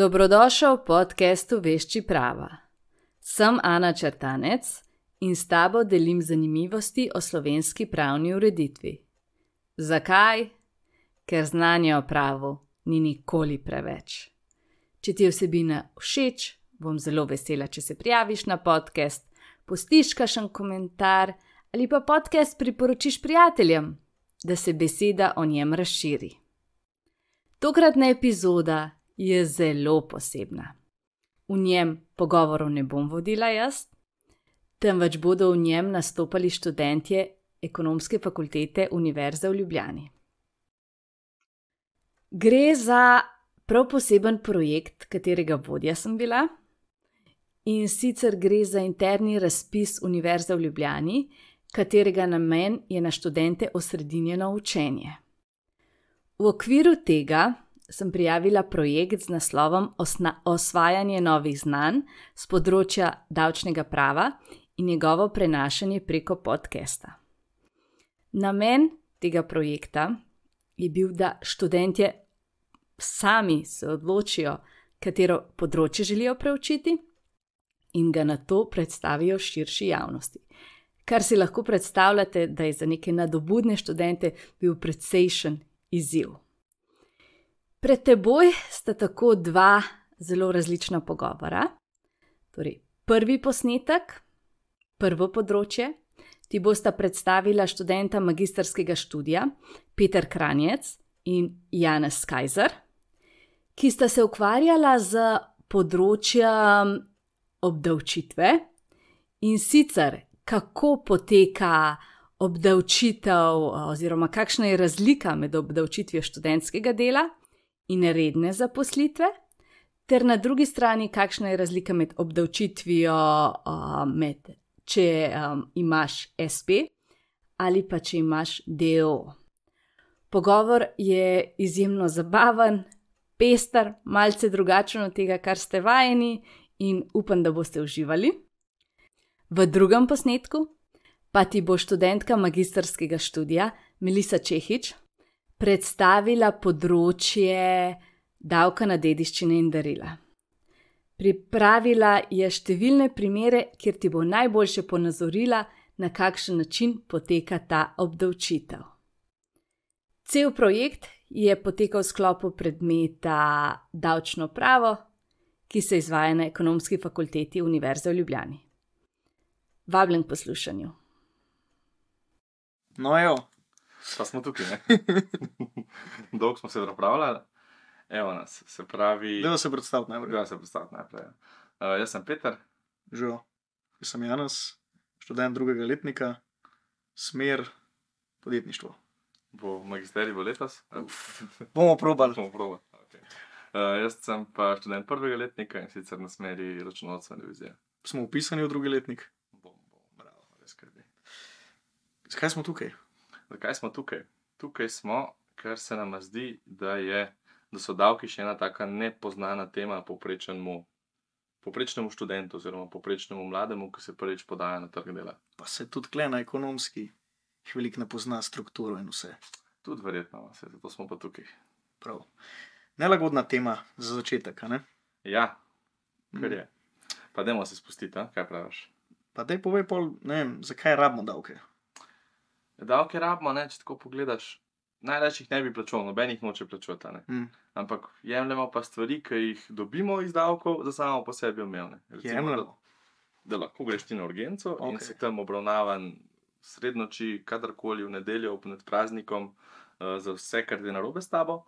Dobrodošel v podcastu Vešči prava. Sem Ana Črtanec in s tabo delim zanimivosti o slovenski pravni ureditvi. Zakaj? Ker znanje o pravu ni nikoli preveč. Če ti je vsebina všeč, bom zelo vesela, če se prijaviš na podcast, pustiš kakšen komentar ali pa podcast priporočiš prijateljem, da se beseda o njem razširi. Tokratna epizoda je zelo posebna. V njem pogovorov ne bom vodila jaz, temveč bodo v njem nastopali študentje Ekonomske fakultete Univerze v Ljubljani. Gre za prav poseben projekt, katerega vodja sem bila, in sicer gre za interni razpis Univerze v Ljubljani, katerega namen je na študente osredinjeno učenje. V okviru tega sem prijavila projekt z naslovom Osvajanje novih znanj z področja davčnega prava in njegovo prenašanje preko podcasta. Namen tega projekta je bil, da študentje sami se odločijo, katero področje želijo preučiti in ga nato predstavijo širši javnosti. Kar si lahko predstavljate, da je za neke nadobudne študente bil precejšen izziv. Pred teboj sta tako dva zelo različna pogovora. Torej, prvi posnetek, prvo področje, ti bosta predstavila študenta magistrskega študija Peter Kranjec in Janez Kajzer, ki sta se ukvarjala z področjem obdavčitve in sicer kako poteka obdavčitev oziroma kakšna je razlika med obdavčitvijo študentskega dela in redne zaposlitve, ter na drugi strani kakšna je razlika med obdavčitvijo če imaš SP ali pa če imaš DO. Pogovor je izjemno zabaven, pester, malce drugačen od tega, kar ste vajeni, in upam, da boste uživali. V drugem posnetku pa ti bo študentka magistrskega študija Melisa Čehič predstavila področje davka na dediščine in darila. Pripravila je številne primere, kjer ti bo najboljše ponazorila, na kakšen način poteka ta obdavčitev. Cel projekt je potekal v sklopu predmeta Davčno pravo, ki se izvaja na Ekonomski fakulteti Univerze v Ljubljani. Vabljen k poslušanju. No, evo. Pa smo tukaj, ne? Dolgo smo se pripravljali. Evo nas, se pravi... Dajmo se predstaviti najprej. Ja, se predstaviti najprej. Jaz sem Peter. Živo. Jaz sem Janez, študent drugega letnika, smer podjetništvo. Bo magisterij bo letos? Bomo probali. Okay. Jaz sem pa študent prvega letnika in sicer na smeri računovodstvene divizije. Smo vpisani v drugi letnik. Bravo, res skrbi. Zakaj smo tukaj? Zakaj smo tukaj? Tukaj smo, ker se nam zdi, da so davki še ena taka nepoznana tema povprečnemu študentu oziroma povprečnemu mlademu, ki se prvič podaja na trg dela. Pa se tudi tle na ekonomski veliko ne pozna strukturo in vse. Tudi verjetno, zato smo pa tukaj. Prav. Nelagodna tema za začetek, a ne? Ja, kar je. Pa dajmo se spustiti, kaj praviš? Pa daj povej pol, ne vem, zakaj rabimo davke? Davke rabimo, če tako pogledaš, največ jih ne bi plačal, noben jih noče plačati, ne. Ampak jemljemo pa stvari, ki jih dobimo iz davkov, za samo po sebi omejene. Jemljemo? Da lahko greš ti na urgenco in si tam obravnavan srednoči, kadarkoli v nedeljo, med praznikom, za vse, kar je narobe s tabo,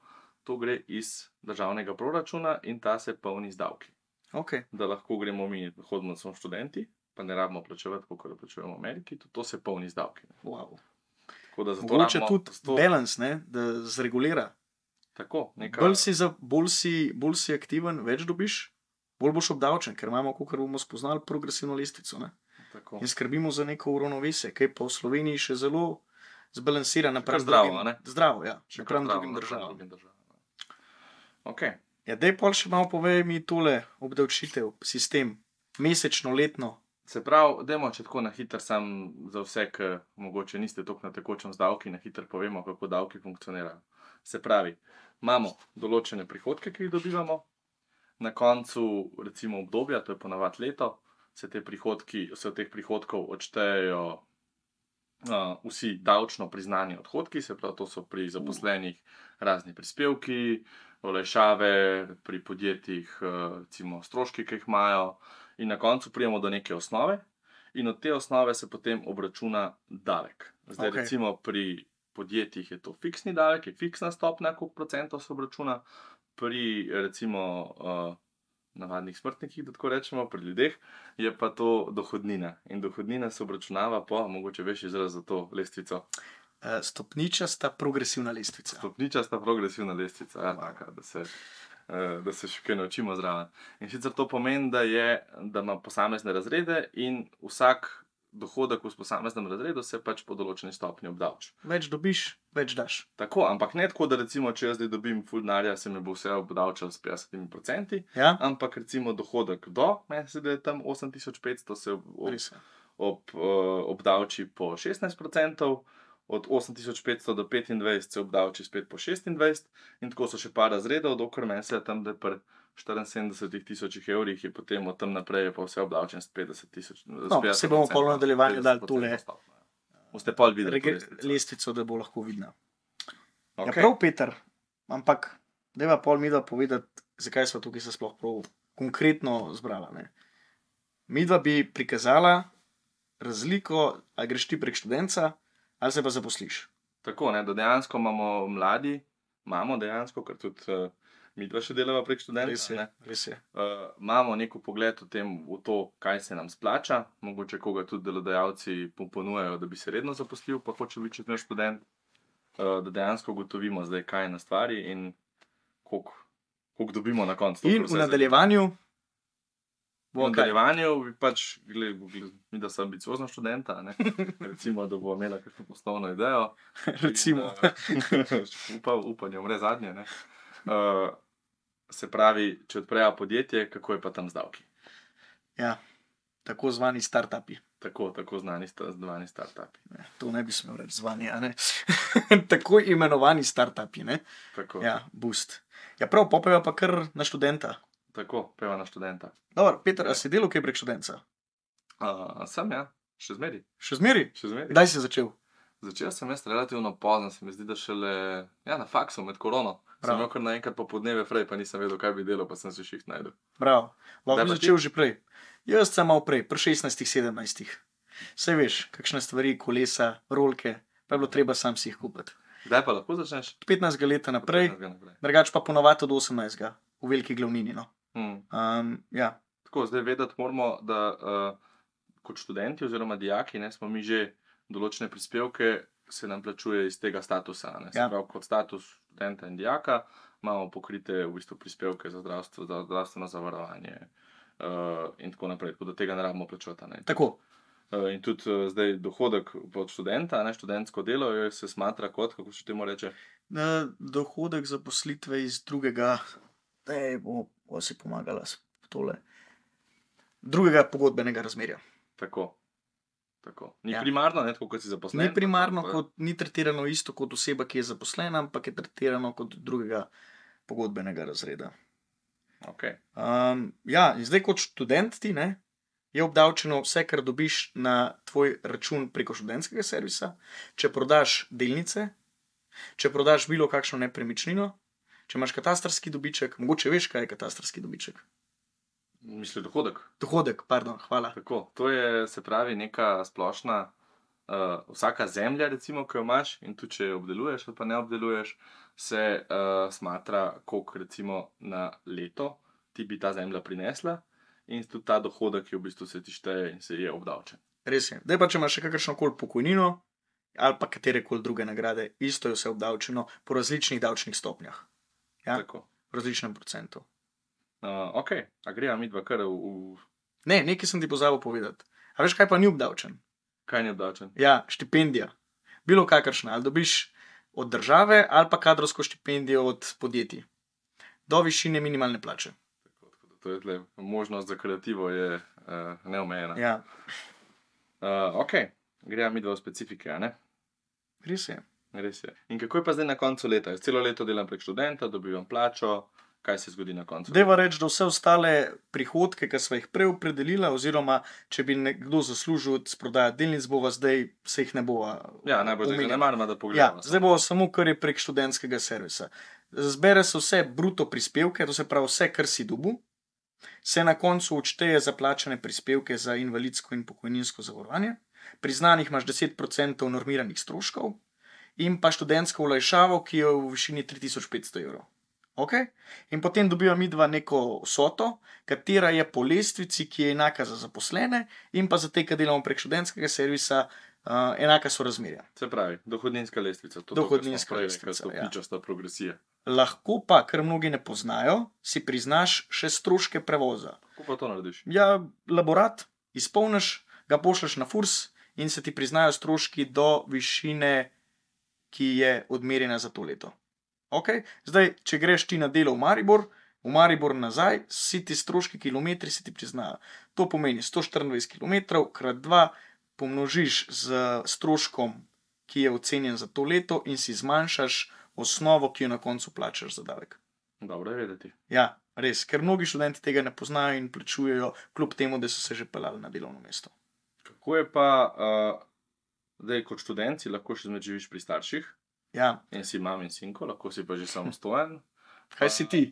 to gre iz državnega proračuna in ta se polni z davki. Okay. Da lahko gremo mi, hodimo, smo študenti, pa ne rabimo plačevati, kako plačujemo v Ameriki, tudi to se polni z davki. Wow. Mogoče tudi balans, ne, da zregulira. Tako, bolj si aktiven, več dobiš, bolj boš obdavčen, ker imamo, kakor bomo spoznali, progresivno lestvico. Ne? In skrbimo za neko uravnovesje, ki je pa v Sloveniji še zelo zbalansirano. Zdravo, ja. Napram drugim državam. Okay. Ja, daj pol še malo povej mi tole obdavčitev, sistem, mesečno, letno. Se pravi, dajmo če tako na hiter sam za vse, ki mogoče niste toliko na tekočem z davki, na hiter povemo, kako davki funkcionirajo. Se pravi, imamo določene prihodke, ki jih dobivamo, na koncu recimo obdobja, to je ponavadi leto, se od teh prihodkov odštejejo vsi davčno priznani odhodki, se pravi, to so pri zaposlenih razni prispevki, olajšave, pri podjetjih recimo stroški, ki jih imajo, in na koncu pridemo do neke osnove in od te osnove se potem obračuna davek. Zdaj recimo pri podjetjih je to fiksni davek, je fiksna stopnja, koliko procentov se obračuna, pri recimo navadnih smrtnikih, da tako rečemo, pri ljudeh, je pa to dohodnina. In dohodnina se obračunava po, mogoče veš izraz za to lestvico. Stopničasta progresivna lestvica. Stopničasta progresivna lestvica, ja, taka, da se še kaj naučimo zraven. In sicer to pomeni, da ima posamezne razrede in vsak dohodek v posameznem razredu se pač po določeni stopnji obdavči. Več dobiš, več daš. Tako, ampak ne tako, da recimo, če jaz zdaj dobim ful denarja, se mi bo vse obdavčal s 50%, Ja? ampak recimo dohodek do, meni se da je tam 8500, se obdavči po 16%, od 8500 do 25 se obdavči spet po 26%, in tako so še par razredov, dokler meni se tam, da pri 74,000 evrih je potem od tam naprej pa vse obdavčen s 50,000. No, se bomo pol v nadaljevanju dali tole Boste pol videli lestvico, da bo lahko vidna. Okay. Ja, prav, Peter, ampak dajva pol midva povedati, zakaj sva tukaj se sploh prav konkretno zbrala. Ne? Midva bi prikazala razliko, ali greš ti prek študenta, ali se pa zaposliš. Tako, ne, da dejansko imamo dejansko, ker tudi midva še delava prek študenta. Res je. Imamo neko pogled v to, kaj se nam splača, mogoče koga tudi delodajalci ponujajo, da bi se redno zaposlil, pa hoče biti naš študent, da dejansko ugotovimo zdaj, kaj je na stvari in koliko dobimo na koncu. In v nadaljevanju bi pač, mi da sem ambiciozna študenta, ne? Recimo, da bo imela kakšno poslovno idejo. Recimo. Upanje umre zadnje, ne? Se pravi, če odprejo podjetje, kako je pa tam z davki? Ja, tako zvani startupi. Tako zvani startupi. To ne bi smel reči zvani, a ne? Tako imenovani startupi, ne? Tako. Ja, boost. Ja, prav, popejo pa kar na študenta. Tako, peva na študenta. Dobar, Peter, a si delal kaj prek študenta? Sem, ja. Še zmeri. Še zmeri? Še zmeri. Kdaj si začel? Začel sem jaz relativno pozno, se mi zdi, da šele na faksu med korono. Sem imel kar naenkrat popoldneve frej, pa nisem vedel, kaj bi delal, pa sem se šiht najdel. Bravo, lahko bi začel že prej. Jaz sem malo prej, pri 16-17. Saj veš, kakšne stvari, kolesa, rolke, pa je bilo treba sam si jih kupiti. Kdaj pa lahko začneš? 15 leta naprej, drugač pa ponovadi od 18. v veliki glavnini. No. Ja. Tako, zdaj vedeti moramo, da kot študenti oziroma dijaki, ne, smo mi že določene prispevke se nam plačuje iz tega statusa. Ne. Se pravi, kot status študenta in dijaka imamo pokrite v bistvu prispevke za zdravstvo, za zdravstveno zavarovanje in tako naprej, tako da tega ne rabimo plačati. Ne. Tako. In tudi zdaj dohodek od študenta, ne, študentsko delo, se smatra kot, kako še temu reče? Dohodek zaposlitve iz drugega, bo si pomagala s tole, drugega pogodbenega razmerja. Tako. Ni primarno, ne, tako kot si zaposlen. Ni primarno, ni tretirano isto kot oseba, ki je zaposlena, ampak je tretirano kot drugega pogodbenega razreda. Okay. Ja, in zdaj kot študent ti, ne, je obdavčeno vse, kar dobiš na tvoj račun preko študentskega servisa, če prodaš delnice, če prodaš bilo kakšno nepremičnino, če imaš katastrski dobiček, mogoče veš, kaj je katastrski dobiček. Misli dohodek? Dohodek, pardon, hvala. Tako, to je, se pravi, neka splošna, vsaka zemlja, recimo, ki jo imaš, in tudi če jo obdeluješ ali pa ne obdeluješ, se smatra, koliko recimo na leto ti bi ta zemlja prinesla, in tudi ta dohodek, ki v bistvu se ti šteje in se je obdavčen. Res je. Zdaj pa, če imaš še kakršnokoli pokojnino ali pa katerekoli druge nagrade, isto je vse obdavčeno po različnih davčnih stopnjah. Ja? Tako. V različnem procentu. Ok, a greva midva kar v... Ne, nekaj sem ti pozabil povedati. A veš, kaj pa ni obdavčen? Kaj ni obdavčen? Ja, štipendija. Bilo kakršna, ali dobiš od države ali pa kadrovsko štipendijo od podjetij. Do višine minimalne plače. To je tle, možnost za kreativo je neomejena. Ja. Ok, greva midva v specifike, a ne? Res je. In kako je pa zdaj na koncu leta? Jaz celo leto delam prek študenta, dobivam plačo kaj se zgodi na koncu. Deva reči, da vse ostale prihodke, ki smo jih prej opredelili, oziroma če bi nekdo zaslužil s prodajo delnic, bova zdaj se jih ne bova. Ja, najbolj zdaj ne maramo, da pogledamo. Ja, zdaj bo samo, kar je prek študentskega servisa. Zbere se vse bruto prispevke, to se pravi vse, kar si dobil, se na koncu odšteje za plačane prispevke za invalidsko in pokojninsko zavarovanje, priznanih imaš 10% normiranih stroškov in pa študentsko olajšavo, ki je v višini 3500 evrov. Okay? In potem dobiva midva neko vsoto, katera je po lestvici, ki je enaka za zaposlene in pa za te, ki delamo prek študentskega servisa, enaka so razmerja. Se pravi, dohodninska lestvica. Dohodninska lestvica, ja. Progresija. Lahko pa, ker mnogi ne poznajo, si priznaš še stroške prevoza. Kako pa to narediš? Ja, laborat izpolniš, ga pošleš na FURS in se ti priznajo stroški do višine, ki je odmerjena za to leto. Okay? Zdaj, če greš ti na delo v Maribor nazaj, vsi ti stroški kilometri se ti priznajo. To pomeni 124 km krat 2 pomnožiš z stroškom, ki je ocenjen za to leto in si zmanjšaš osnovo, ki jo na koncu plačaš za davek. Dobro je vedeti. Ja, res, ker mnogi študenti tega ne poznajo in plačujejo, kljub temu, da so se že peljali na delovno mesto. Kako je pa, da kot študent si lahko še zmed živiš pri starših? Ja. In si mam in sinko, lahko si pa že samostojen. Kaj si ti?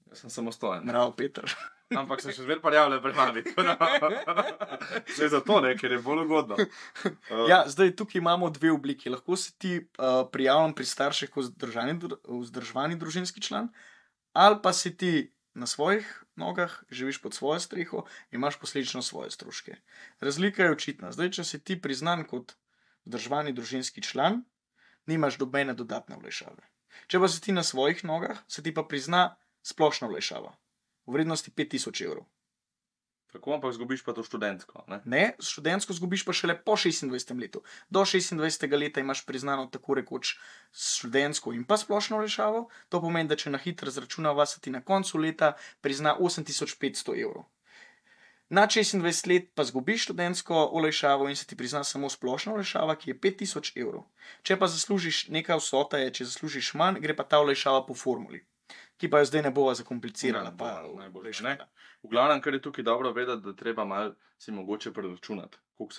Jaz sem samostojen. Bravo, Peter. Ampak sem še zmeraj prijavljen pri mami. Zdaj zato ne, ker je bolj ugodno. Ja, zdaj tukaj imamo dve obliki. Lahko si ti prijavljen pri starših kot vzdrževani družinski član, ali pa si ti na svojih nogah, živiš pod svojo streho in imaš posledično svoje stroške. Razlika je očitna. Zdaj, če si ti priznan kot vzdrževani družinski član, nimaš nobene dodatne olajšave. Če pa si ti na svojih nogah, se ti pa prizna splošna olajšava v vrednosti 5000 evrov. Tako, ampak zgubiš pa to študentsko, ne? Ne, študentsko zgubiš pa šele po 26. letu. Do 26. leta imaš priznano tako rekoč študentsko in pa splošno olajšavo. To pomeni, da če na hitro zračunava, se ti na koncu leta prizna 8500 evrov. Na 26 let pa zgubiš študentsko olajšavo in se ti prizna samo splošna olajšava, ki je 5000 evrov. Če pa zaslužiš nekaj vsota, če zaslužiš manj, gre pa ta olajšava po formuli, ki pa jo zdaj ne bova zakomplicirala. Najboljše, ne? V glavnem, kar je tukaj dobro vedeti, da treba malo si mogoče preračunati, koliko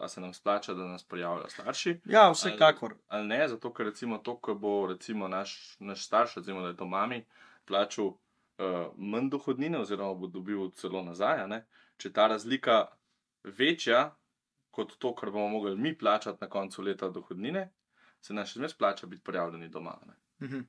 se nam splača, da nas prijavljajo starši. Ja, vsekakor. Ali ne, zato ker recimo to, ko bo recimo naš starš, recimo da je to mami, plačal manj dohodnine oziroma bo dobil celo nazaj, ne? Če ta razlika večja kot to, kar bomo mogli mi plačati na koncu leta dohodnine, se nam še zmeraj splača biti prijavljeni doma. Ne?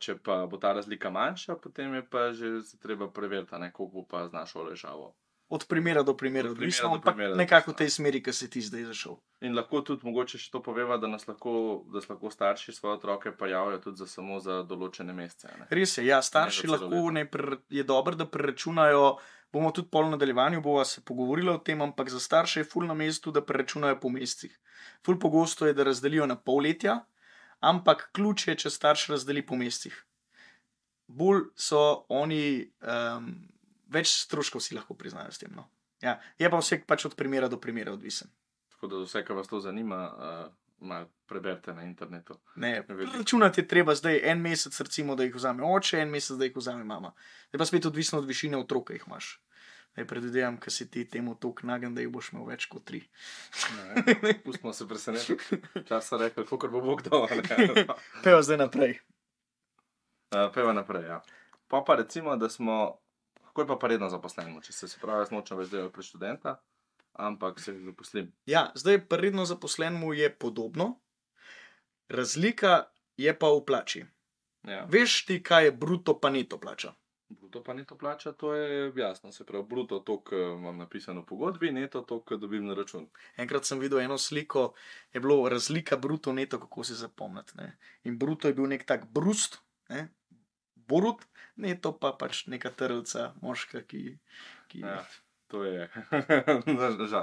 Če pa bo ta razlika manjša, potem je pa že se treba preveriti, koliko bo pa znašal olajšavo. Od primera do primera, odvisno, ampak nekako v tej smeri, ki si ti zdaj zašel. In lahko tudi mogoče še to poveva, da lahko starši svoje otroke prijavljajo tudi samo za določene mesece. Ne? Res je, ja, starši lahko je dobro, da preračunajo, bomo tudi pol v nadaljevanju bova se pogovorila o tem, ampak za starše je ful na mestu, da preračunajo po mesecih. Ful pogosto je, da razdelijo na polletja, ampak ključ je, če starš razdeli po mesecih. Bolj so oni, več stroškov si lahko priznajo s tem. No. Ja, je pa vse pač od primera do primera odvisen. Tako da vse, kar vas to zanima, malo preberite na internetu. Ne, računati je treba zdaj en mesec, recimo, da jih vzame oče, en mesec, da jih vzame mama. Je pa spet odvisno od višine otroka, jih imaš. Predvidevam, ker si ti temu toliko nagen, da jih boš imel več kot 3. Pustimo se presenetiti. Čas so rekli, kakor bo Bog dal. Peva zdaj naprej. Peva naprej, ja. Pa recimo, da smo, kako je pa redno zaposlenimo, če se pravi, jaz nočem več delati pred študenta, ampak se zaposlim. Ja, zdaj pa redno zaposlenemu je podobno, razlika je pa v plači. Ja. Veš ti, kaj je bruto pa neto plača? Bruto pa neto plača, to je jasno, se pravi, bruto to, kar imam napisano v pogodbi, neto to, kar dobim na račun. Enkrat sem videl eno sliko, je bilo razlika bruto neto, kako se zapomniti. Ne? In bruto je bil nek tak brust, ne? Borut, neto pa pač neka trlca, moška, ki... Ja, to je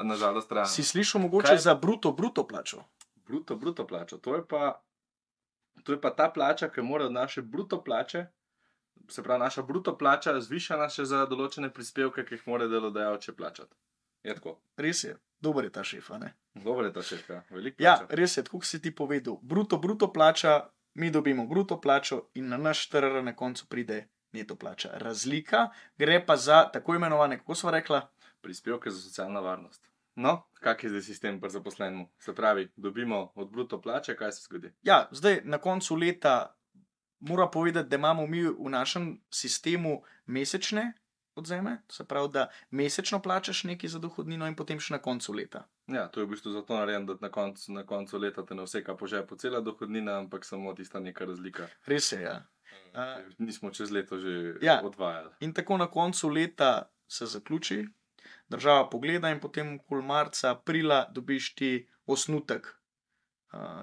nažalost realno. Si slišal mogoče za bruto plačo? Bruto plačo, to je pa ta plača, ki mora od naše bruto plače, se pravi, naša bruto plača zvišana še za določene prispevke, ki jih mora delodajalče plačati. Je tako? Res je, dober je ta šef, ne? Dober je ta šef, ja. Veliko plača. Ja, res je, tako si ti povedal. Bruto plača mi dobimo bruto plačo in na naš TRR na koncu pride neto plača. Razlika gre pa za tako imenovane, kako sva rekla? Prispevke za socialno varnost. No, kak je zdaj sistem pri zaposlenemu? Se pravi, dobimo od bruto plače, kaj se zgodi? Ja, zdaj na koncu leta mora povedati, da imamo mi v našem sistemu mesečne odzeme, se pravi, da mesečno plačaš nekaj za dohodnino in potem še na koncu leta. Ja, to je v bistvu zato narejen, da na koncu leta te ne vseka po žepu cela dohodnina, ampak samo tista neka razlika. Res je, ja. Nismo čez leto že odvajali. In tako na koncu leta se zaključi, država pogleda in potem okoli marca, aprila dobiš ti osnutek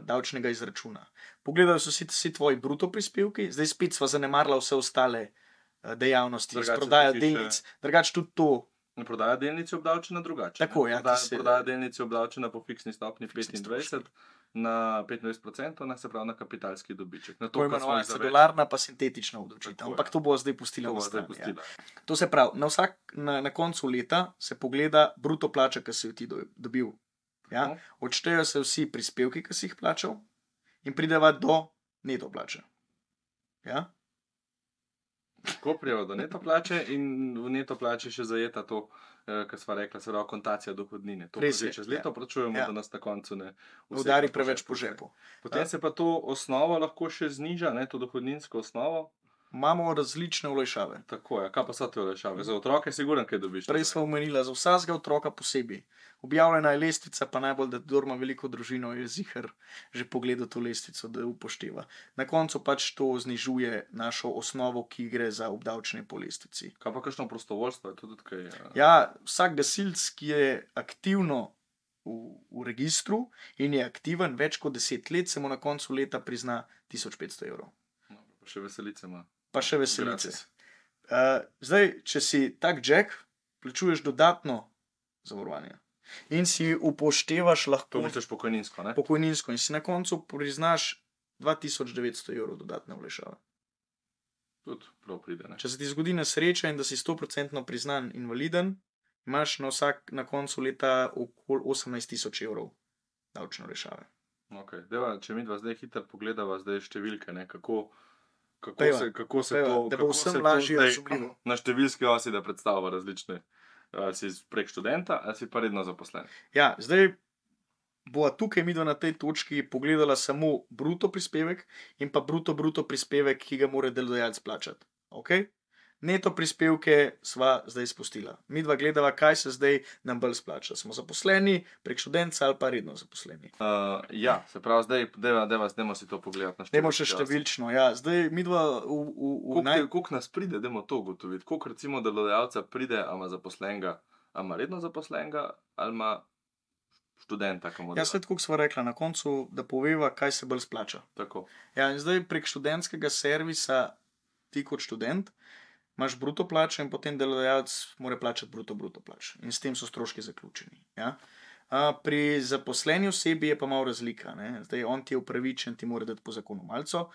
davčnega izračuna. Pogledajo so vsi tvoji bruto prispevki, zdaj spet sva zanemarila vse ostale dejavnosti, prodaja delnic, drugače tudi to. Prodaja delnic je obdavčena drugače. Tako, ja, prodaja delnic je obdavčena po fiksni stopni 25 na 25%, se pravi na kapitalski dobiček. To je imenovana cedularna pa sintetična obdavčitev, ampak to bo zdaj pustila v strani. Ja. To se pravi, na koncu leta se pogleda bruto plača, ki si jo ti dobil. Ja? Odštejo se vsi prispevki, ki si jih plačal in prideva do neto plače. Ja? Ko prijeva do neto plače in v neto plače še zajeta to, kar sva rekla, se pravi kontacija dohodnine. To pa že čez leto plačujemo, da nas na koncu ne udari preveč po žepu. Potem se pa to osnovo lahko še zniža, to dohodninsko osnovo. Imamo različne olajšave. Tako je, kaj pa so te olajšave? Za otroke sigurno kaj dobiš? Prej smo omenila, za vsakega otroka posebej. Objavljena je lestvica, pa najbolj, da kdor ima veliko družino, je ziher že pogledal to lestvico, da upošteva. Na koncu pač to znižuje našo osnovo, ki gre za obdavčenje po lestvici. Kaj pa kakšno prostovoljstvo? Ja, vsak gasilc, ki je aktivno v registru in je aktiven več kot 10 let, se mu na koncu leta prizna 1500 €. No, pa še veselice ima. Pa še veselice. Zdaj, če si tak jack, plačuješ dodatno zavarovanje. In si upoštevaš lahko... To misliš pokojninsko, ne? Pokojninsko. In si na koncu priznaš 2900 € dodatne olajšave. Tudi prav pride, ne? Če se ti zgodi nesreča in da si 100% priznan invaliden, imaš na koncu leta okoli 18 000 € davčne olajšave. Ok, deva, če mi dva zdaj hitro pogledava zdaj številke, ne, kako se to, da bo vsem lažje razumljivo. Na številski osi, da predstavlja različne, si prek študenta, ali si pa redno zaposlen. Ja, zdaj bova tukaj midva na tej točki pogledala samo bruto prispevek in pa bruto prispevek, ki ga mora delodajalec plačati. Ok? Neto prispevke sva zdaj spustila. Midva gledava, kaj se zdaj nam bolj splača. Smo zaposleni, prek študenta ali pa redno zaposleni. Ja, se pravi, zdaj dajmo si to pogledati na številčno. Dajmo še številčno, ja. Zdaj midva koliko nas pride, dajmo to ugotoviti. Koliko recimo delodajalca pride, ali ima zaposlenega, ali ima redno zaposlenega, ali ima študenta. Ja, svet, koliko sva rekla na koncu, da poveva, kaj se bolj splača. Tako. Ja, in zdaj prek študentskega servisa ti kot študent imaš bruto plačo in potem delodajalec mora plačati bruto plačo. In s tem so stroški zaključeni. Ja? Pri zaposleni osebi je pa malo razlika. Ne? Zdaj on ti je upravičen, ti mora dati po zakonu malco,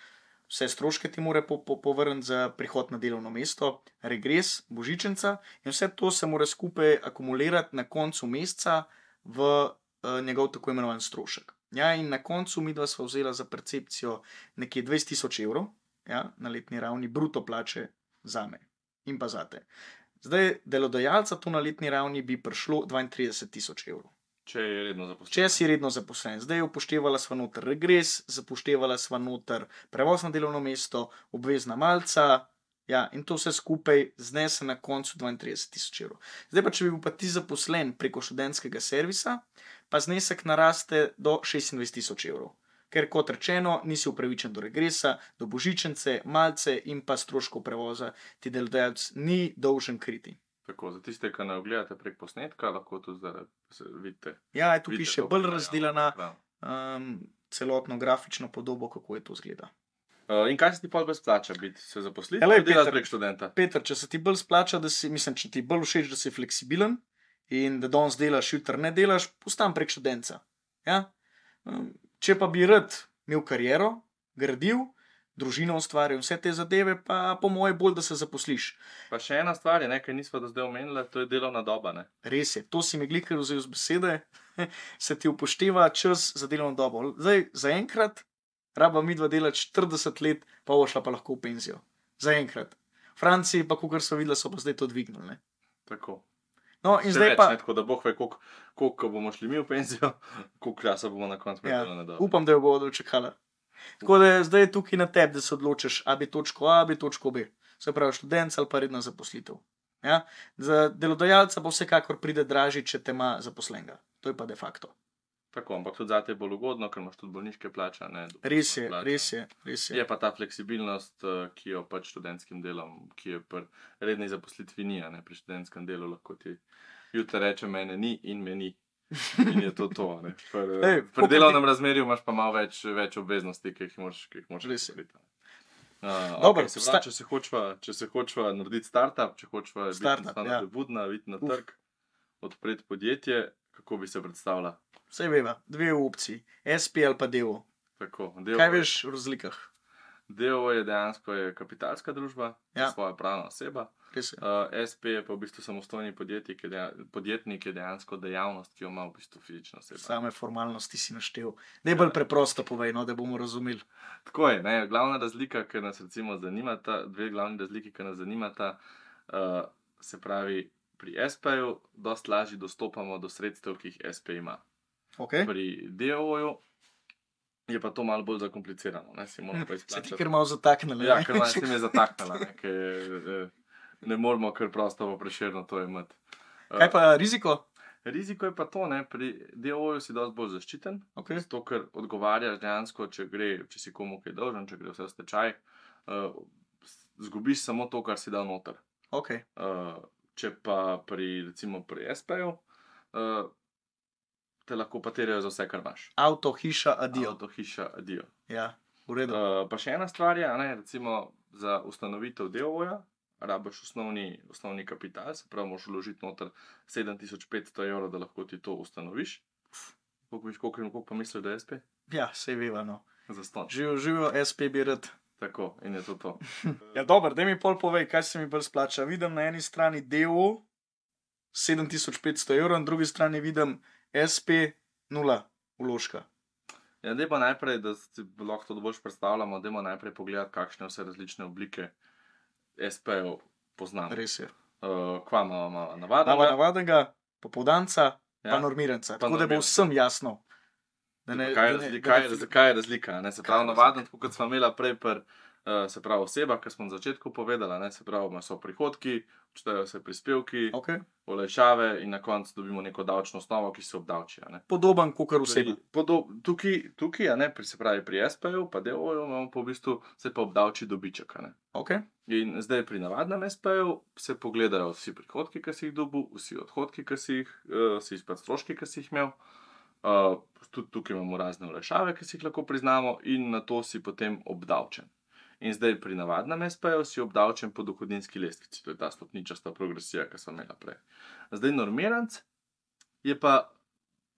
vse stroške ti mora povrniti za prihod na delovno mesto, regres, božičenca in vse to se mora skupaj akumulirati na koncu meseca v njegov tako imenovan strošek. Ja, in na koncu midva sva vzela za percepcijo nekje 20 000 €, ja, na letni ravni bruto plače zame in pa zate. Zdaj, delodajalca to na letni ravni bi prišlo 32 000 €. Če je redno zaposlen. Če si redno zaposlen. Zdaj upoštevala sva noter regres, upoštevala sva noter prevoz na delovno mesto, obvezna malca, ja, in to vse skupaj znese na koncu 32 000 €. Zdaj pa, če bi bil pa ti zaposlen preko študentskega servisa, pa znesek naraste do 26 000 €. Ker, kot rečeno, nisi upravičen do regresa, do božičence, malce in pa stroškov prevoza ti delodajalec ni dolžen kriti. Tako, za tiste, ki ne ogledate prek posnetka, lahko tudi zdaj vidite. Ja, tu piše bolj razdelana celotno grafično podobo, kako je to izgleda. In kaj se ti bolj splača biti? Se zaposliti ali delati prek študenta? Peter, če se ti bolj splača, če ti bolj všeč, da si fleksibilen in da danes delaš, jutri ne delaš, postan prek študenta. Ja? Če pa bi rad imel kariero, gradil, družino ustvaril, vse te zadeve, pa po moje bolj, da se zaposliš. Pa še ena stvar je, nekaj nisva do zdaj omenila, to je delovna doba, ne? Res je, to si mi glikar vzel z besede, se ti upošteva čas za delovno dobo. Zdaj, zaenkrat raba midva delati 40 let, pa bo šla pa lahko v penzijo. Zaenkrat. Franciji pa, kakor so videli, so pa zdaj to dvignili. Ne? Tako. No, in Še zdaj več, pa... ne, tako da Bog ve, koliko bomo šli mi v penzijo, koliko časa bomo na koncu predelali na dobro. Upam, da jo bodo dočekala. Tako da zdaj je tukaj na tebi, da se odločiš, a bi točko A, bi točko B. Se pravi, študent ali pa redna zaposlitev. Ja? Za delodajalca pa vsekakor pride dražji, če te ima zaposlenega. To je pa de facto. Tako, ampak tudi zate je bolj ugodno, ker imaš tudi bolniške plače. Res je. Je pa ta fleksibilnost, ki jo pač študentskim delom, ki je pri redni zaposlitvi ni, ne, pri študentskem delu lahko ti jutri reče, mene ni in me ni. In je to. Pri delovnem razmerju imaš pa malo več obveznosti, ki jih moraš storiti. Dobro, če se hočva narediti startup, če hočva biti budna, videti na trg, odpreti podjetje, kako bi se predstavila? Vse veva, dve opciji, SP ali pa DO. Kaj veš v razlikah? DO je dejansko kapitalska družba, svoja pravna oseba. SP je pa v bistvu samostojni podjetnik, je dejansko dejavnost, ki jo ima v bistvu fizična oseba. Same formalnosti si naštel. Najbolj preprosto povej, no, da bomo razumeli. Tako je, ne, glavna razlika, ki nas recimo zanimata, dve glavni razliki, ki nas zanimata, se pravi, pri SP-ju dosti lažje dostopamo do sredstev, ki jih SP ima. Pri DO-ju je pa to malo bolj zakomplicirano, ne, si moramo pa izplačati. Se ti kar malo zataknili. Ja, ker malo si me zataknila, ne, ker ne moramo kar prosto pa Prešerno to imeti. Kaj pa riziko? Riziko je pa to, ne, pri DO-ju si dosti bolj zaščiten, zato ker odgovarjaš dejansko, če si komu kaj dolžen, če gre vse v stečaj, zgubiš samo to, kar si dal noter. Če pa recimo pri SP-ju, te lahko pa terjajo za vse, kar imaš. Avto, hiša, adijo. Ja, v redu. Pa še ena stvar je, ne, recimo za ustanovitev DO-ja, rabiš osnovni kapital, se pravi, moraš vložiti noter 7500 €, da lahko ti to ustanoviš. Koliko pa misliš, da je SP? Ja, sej veva, no. Zastonj. Živijo SP bi rad. Tako, in je to. Ja, dober, daj mi pol povej, kaj se mi bolj splača. Vidim na eni strani DO 7500 €, na drugi strani vidim SP 0 vložka. Ja, daj pa najprej, da si lahko to bolj predstavljamo, dajmo najprej pogledati, kakšne vse različne oblike SP-jev poznamo. Res je. Kva imamo navadnega, popoldanca, pa normiranca. Tako da bo vsem jasno. Kaj je razlika? Ne? Se pravi, navaden, tako kot smo imela prej se pravi oseba, ki smo na začetku povedala, ne? Se pravi, so prihodki, odštejejo se prispevki, olajšave in na koncu dobimo neko davčno osnovo, ki se obdavči. Podoben kakor oseba. Tukaj, se pravi pri SP-ju, pa DO-ju imamo pa v bistvu se pa obdavči dobiček. In zdaj pri navadnem SP-ju se pogledajo vsi prihodki, ki si jih dobil, vsi odhodki, ki si jih, pa stroški, ki si jih imel. Tudi tukaj imamo razne olajšave, ki si jih lahko priznamo in na to si potem obdavčen. In zdaj pri navadnem SP-ju si obdavčen po dohodninski lestvici, to je ta stopničasta progresija, ki smo imela prej. Zdaj normiranc je pa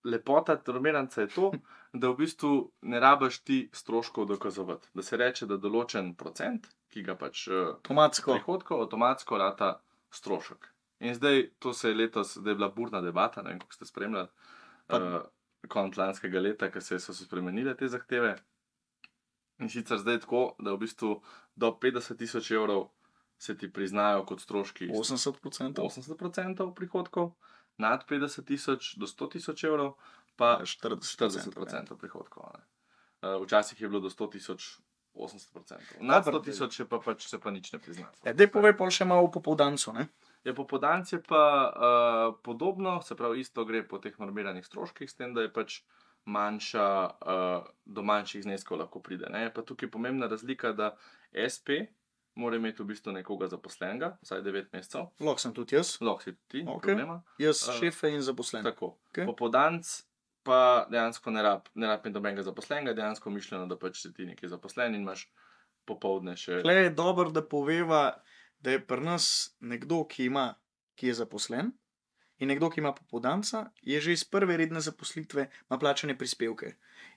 lepota normiranca je to, da v bistvu ne rabiš ti stroškov dokazovati. Da se reče, da določen procent, ki ga pač prihodkov, avtomatsko rata strošek. In zdaj, to se je letos, zdaj je bila burna debata, ne vem, kako ste spremljali, konec lanskega leta, ko so se spremenile te zahteve. In sicer zdaj tako, da v bistvu do 50 000 € se ti priznajo kot stroški 80% prihodkov, nad 50 000 do 100 000 € pa 40% prihodkov. Včasih je bilo do 100 000 80%. Nad 100 000 se pa nič ne prizna. Dej povej pol še malo o popoldancu, ne? Popoldanc je pa podobno, se pravi isto gre po teh normiranih stroških, s tem, da je pač manjša, do manjših zneskov lahko pride. Je pa tukaj pomembna razlika, da SP mora imeti v bistvu nekoga zaposlenega, vsaj 9 mesecev. Lahko sem tudi jaz. Lahko si tudi ti, problema. Jaz šefe in zaposlen. Tako. Popoldanc pa dejansko ne rab imeti nobenega zaposlenega, dejansko mišljeno, da pač si ti nekaj zaposlen in imaš popoldne še... Tle je dobro, da poveva, da je pri nas nekdo, ki je zaposlen, in nekdo, ki ima popoldanca, je že iz prve redne zaposlitve, ima plačane prispevke.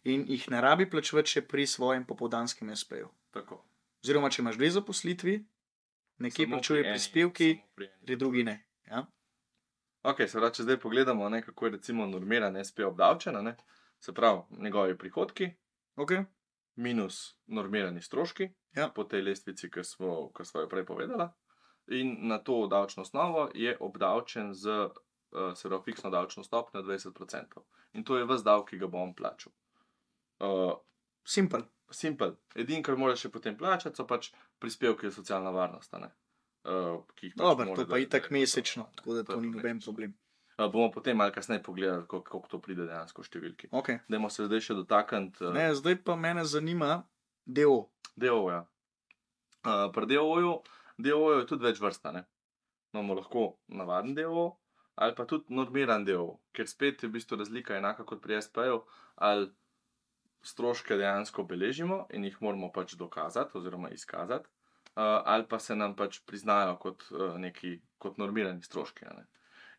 In jih ne rabi plačevati še pri svojem popoldanskem SP-ju. Tako. Oziroma, če imaš dve zaposlitvi, nekje plačuje prispevki, pri drugi ne. Ja? Ok, se pravi, če zdaj pogledamo, kako je recimo normiran SP obdavčen, se pravi, njegovi prihodki, minus normirani stroški po tej lestvici, ki smo jo prej povedala. In na to davčno osnovo je obdavčen z fiksno davčno stopnjo 20%. In to je ves davek, ki ga bo on plačal. Simple. Edino, kar moraš še potem plačati, so pač prispevki za socialno varnost. Dobro, to pa itak mesečno, tako da to ni noben problem. Bomo potem malo kasneje pogledali, koliko to pride dejansko v številki. Okay. Dajmo se zdaj še dotakniti. Zdaj pa mene zanima DO. DO, ja. Pri DO je tudi več vrsta. Imamo lahko navaden DO ali pa tudi normiran DO, ker spet je v bistvu razlika enaka kot pri SP-ju, ali stroške dejansko beležimo in jih moramo pač dokazati oziroma izkazati, ali pa se nam pač priznajo kot normirani stroški.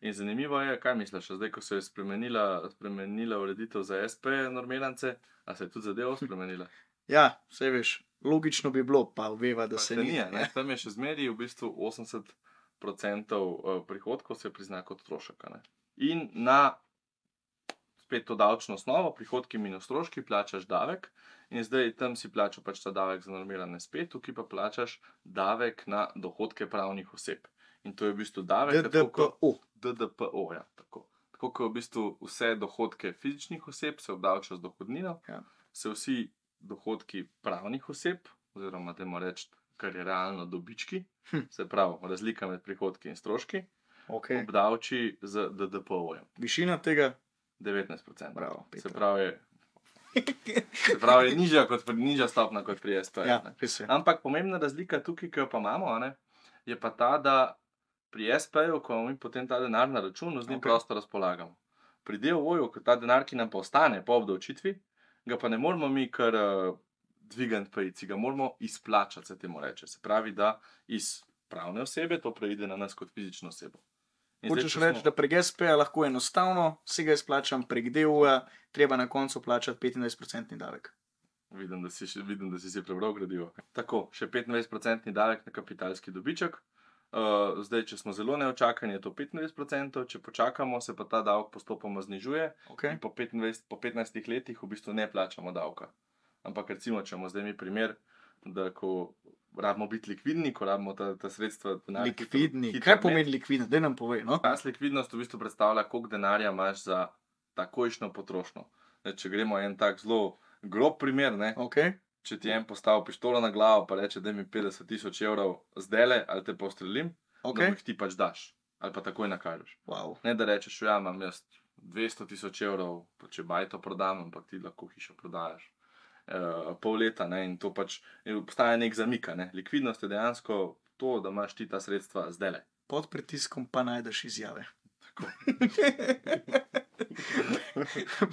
In zanimivo je, kaj misliš, zdaj, ko se je spremenila ureditev za SP normirance, a se je tudi za DO spremenila? Ja, vse veš, logično bi bilo, pa veva, da se ni. Tam je še zmeri v bistvu 80% prihodkov se prizna kot strošek. In na spet to davčno osnovo, prihodki minus stroški, plačaš davek in zdaj tam si plačal pač ta davek za normirane SP, tukaj pa plačaš davek na dohodke pravnih oseb. In to je v bistvu davek DDPO, ja, tako. Tako kot v bistvu vse dohodke fizičnih oseb se obdavča z dohodnino, se vsi dohodki pravnih oseb, oziroma dajmo reči, kar je realno dobički, se pravi razlika med prihodki in stroški, obdavči z DDPO-jem. Višina tega? 19%. Bravo, se pravi je nižja stopna kot pri SP. Ja, ampak pomembna razlika tukaj, ki jo pa imamo, je pa ta, da pri SP-ju, ko mi potem ta denar na računu, z njim prosto razpolagamo. Pri DO-ju, ko ta denar, ki nam pa ostane po obdavčitvi, ga pa ne moramo mi kar dvigant pajici, ga moramo izplačati, se temu reče. Se pravi, da iz pravne osebe to preide na nas kot fizično osebo. Hočeš reči, da prek SP-ja lahko enostavno si ga izplačam, prek DO-ja treba na koncu plačati 25% davek. Vidim, da si prebral gradivo. Tako, še 25% davek na kapitalski dobiček. Zdaj, če smo zelo neočakani, je to 25%, če počakamo, se pa ta davek postopoma znižuje. In po 15 letih v bistvu ne plačamo davka. Ampak recimo, če imamo zdaj mi primer, da ko rabimo biti likvidni, ko rabimo ta sredstva... Likvidni? Kaj pomeni likvidno? Daj nam povej, no? Likvidnost v bistvu predstavlja, koliko denarja imaš za takojšnjo potrošnjo. Če gremo en tak zelo grob primer, če ti en postavi pištolo na glavo pa reče, daj mi 50 000 evrov zdajle, ali te postrelim, da jih ti pač daš. Ali pa takoj nakažeš. Ne da rečeš, ja, imam jaz 200 000 evrov, pa če bajto prodam, ampak ti lahko hišo prodajaš. Pol leta, in to pač obstaja nek zamik. Likvidnost je dejansko to, da imaš ti ta sredstva zdajle. Pod pritiskom pa najdeš izjave. Tako.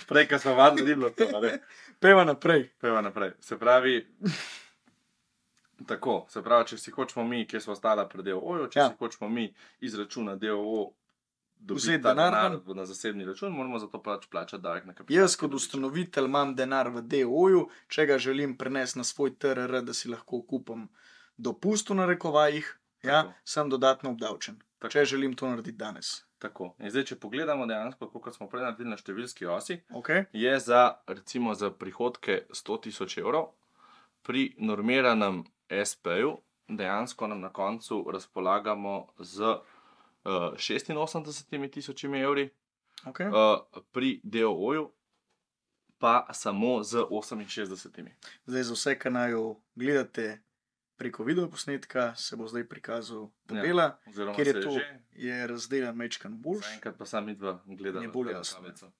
Prej, ko smo vadili, ni bilo to. Peva naprej. Se pravi, če si hočemo mi, kjer smo ostala pri DO-ju, če si hočemo mi izračunati DO dobiti denar na zasebni račun, moramo za to plačati davek na kapital. Jaz kot ustanovitelj imam denar v DO-ju, če ga želim prenesti na svoj TRR, da si lahko kupim dopust v narekovajih, sem dodatno obdavčen. Če želim to narediti danes. Tako. In zdaj, če pogledamo dejansko, kot smo prej naredili na številski osi, je recimo za prihodke 100 000 evrov pri normiranem SP-ju dejansko nam na koncu razpolagamo z 86 000 evri, pri DO-ju pa samo z 68. Zdaj za vse, ki naj gledate preko videoposnetka, se bo zdaj prikazal tabela, ker je razdeljen mečkan boljš. Zaenkrat pa sam midva gledala. Je bolj jasno.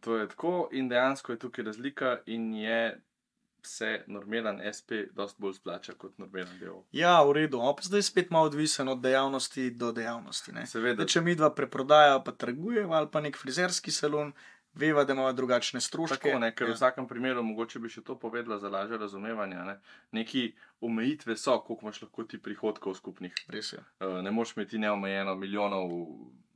To je tako in dejansko je tukaj razlika in je se normiran SP dosti bolj splača kot normiran DO. Ja, v redu. Zdaj spet malo odvisen od dejavnosti do dejavnosti. Seveda. Če midva preprodaja pa trgujeva ali pa nek frizerski salon, veva, da imamo drugačne stroške. Tako, ker v vsakem primeru, mogoče bi še to povedala za lažje razumevanje, neki omejitve so, koliko imaš lahko ti prihodkov skupnih. Res je. Ne moš imeti neomejeno milijonov,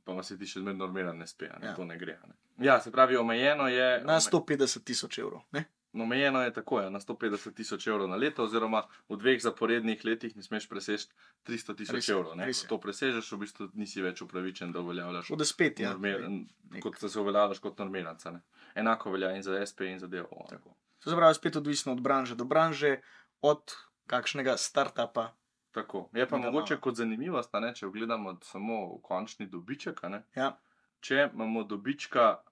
pa ima se ti še zmer normiran SP, to ne gre. Ja, se pravi, omejeno je... Na 150 000 evrov, ne? Omejeno je tako, na 150 000 evrov na leto, oziroma v 2 zaporednih letih ne smeš preseči 300 000 evrov. Ko to presežeš, v bistvu nisi več upravičen, da uveljavljaš kot se uveljavljaš kot normiranca. Enako velja in za SP in za DO. To se pravi, spet odvisno od branže do branže, od kakšnega startupa. Tako. Je pa mogoče kot zanimivost, če gledamo samo končni dobiček. Ja. Če imamo dobička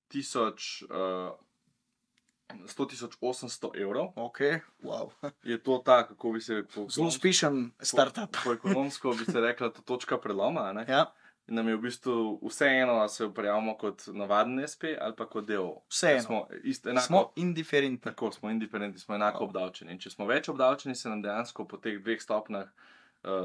100.800 evrov, Okay. Wow. Je to ta, kako bi se zelo uspešen startup. Po ekonomsko bi se rekla, to točka preloma. Ja. In nam je v bistvu vseeno, ali se prijavimo kot navaden SP ali pa kot del. Vseeno. Smo indiferentni. Tako, smo indiferentni, smo enako obdavčeni. In če smo več obdavčeni, se nam dejansko po teh dveh stopnjah,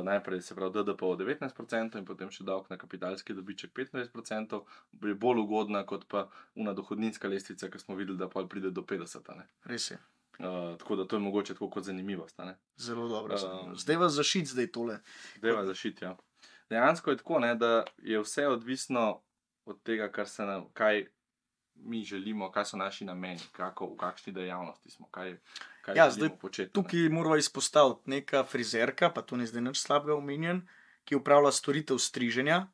najprej se pravi DDP 19% in potem še davek na kapitalski dobiček 25%, je bolj ugodna kot pa una dohodninska lestvica, ki smo videli, da pa pride do 50%. Res je. Tako da to je mogoče tako kot zanimivost. Zelo dobro. Zdaj vas zaščit, Zdaj vas zaščit, ja. Dejansko je tako, da je vse odvisno od tega, kaj mi želimo, kaj so naši nameni, v kakšni dejavnosti smo, kaj želimo početi. Tukaj moramo izpostaviti neka frizerka, pa to ni zdaj nič slabega omenjen, ki upravlja storitev striženja,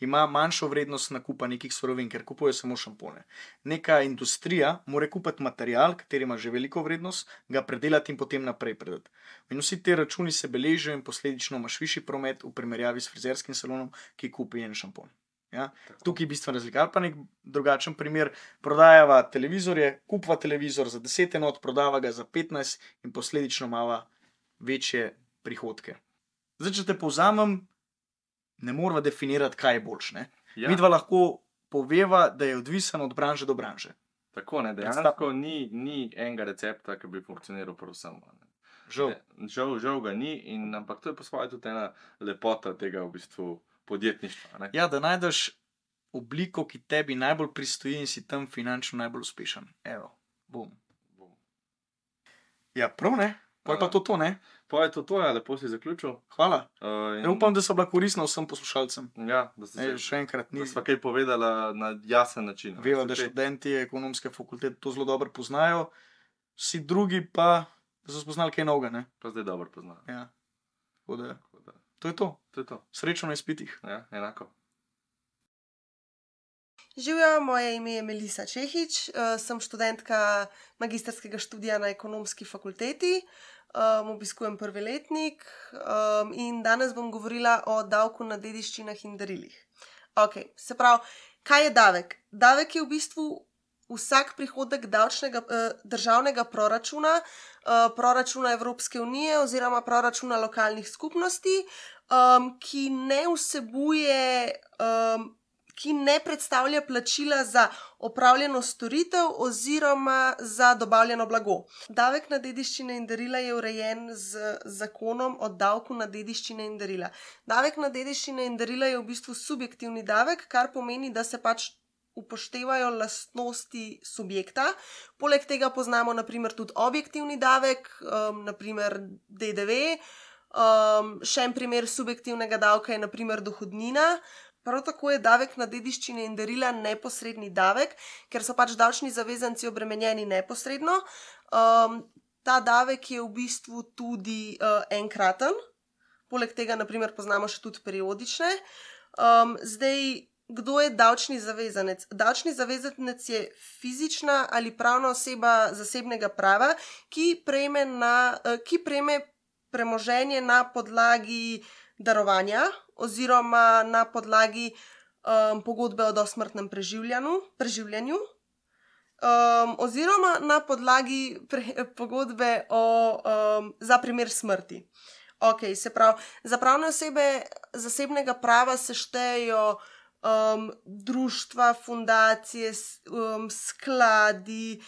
ima manjšo vrednost nakupa nekih surovin, ker kupuje samo šampone. Neka industrija mora kupiti material, kateri ima že veliko vrednost, ga predelati in potem naprej predati. In vsi te računi se beležijo in posledično imaš višji promet v primerjavi s frizerskim salonom, ki kupi en šampon. Ja? Tukaj je bistvena razlika. Ali pa nek drugačen primer, prodajava televizorje, kupva televizor za 10 enot, prodava ga za 15 in posledično ima večje prihodke. Zdaj, če te povzamem, ne moramo definirati, kaj je boljše. Ja. Midva lahko poveva, da je odvisen od branže do branže. Tako, dejansko ni enega recepta, ki bi funkcioniral prav vsem. Žal ga ni, ampak to je po svoje tudi ena lepota tega v bistvu podjetništva. Ja, da najdeš obliko, ki tebi najbolj pristoji in si tam finančno najbolj uspešen. Evo, bum. Ja, prav ne? Pa je pa to, ne? Pa je to, ja, lepo si zaključil. Hvala. Upam, da so bila koristna vsem poslušalcem. Ja, da ste še enkrat da sva kaj povedala na jasen način. Veva, da študenti ekonomske fakultete to zelo dobro poznajo, vsi drugi pa da so spoznali kaj novega, ne? Pa zdaj dobro poznajo. Ja. Tako da, to je to. Srečno na izpitih. Ja, enako. Živjo, moje ime je Melisa Čehič, sem študentka magistrskega študija na ekonomski fakulteti, obiskujem prvi letnik in danes bom govorila o davku na dediščinah in darilih. Ok, se pravi, kaj je davek? Davek je v bistvu vsak prihodek državnega proračuna, proračuna Evropske unije oziroma proračuna lokalnih skupnosti, ki ne vsebuje ki ne predstavlja plačila za opravljeno storitev oziroma za dobavljeno blago. Davek na dediščine in darila je urejen z zakonom o davku na dediščine in darila. Davek na dediščine in darila je v bistvu subjektivni davek, kar pomeni, da se pač upoštevajo lastnosti subjekta. Poleg tega poznamo naprimer tudi objektivni davek, naprimer DDV. Še en primer subjektivnega davka je naprimer dohodnina. Prav tako je davek na dediščine in darila neposredni davek, ker so pač davčni zavezanci obremenjeni neposredno. Ta davek je v bistvu tudi enkraten, poleg tega naprimer poznamo še tudi periodične. Zdaj, kdo je davčni zavezanec? Davčni zavezanec je fizična ali pravna oseba zasebnega prava, ki prejme premoženje na podlagi darovanja oziroma na podlagi pogodbe o dosmrtnem preživljanju oziroma na podlagi pogodbe za primer smrti. Ok, se pravi, za pravne osebe zasebnega prava se štejejo društva, fundacije, skladi,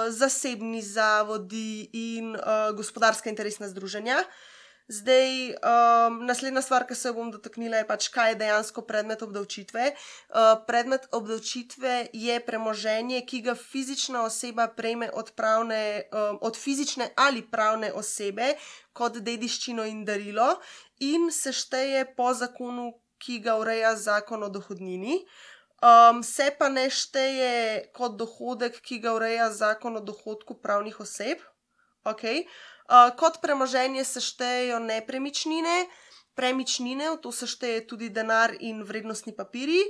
zasebni zavodi in gospodarska interesna združenja. Zdaj, naslednja stvar, ki se bom dotaknila, je pač, kaj je dejansko predmet obdavčitve. Predmet obdavčitve je premoženje, ki ga fizična oseba prejme od fizične ali pravne osebe kot dediščino in darilo in se šteje po zakonu, ki ga ureja zakon o dohodnini. Se pa ne šteje kot dohodek, ki ga ureja zakon o dohodku pravnih oseb. Okay. Kot premoženje se štejejo nepremičnine, premičnine, v to se šteje tudi denar in vrednostni papirji,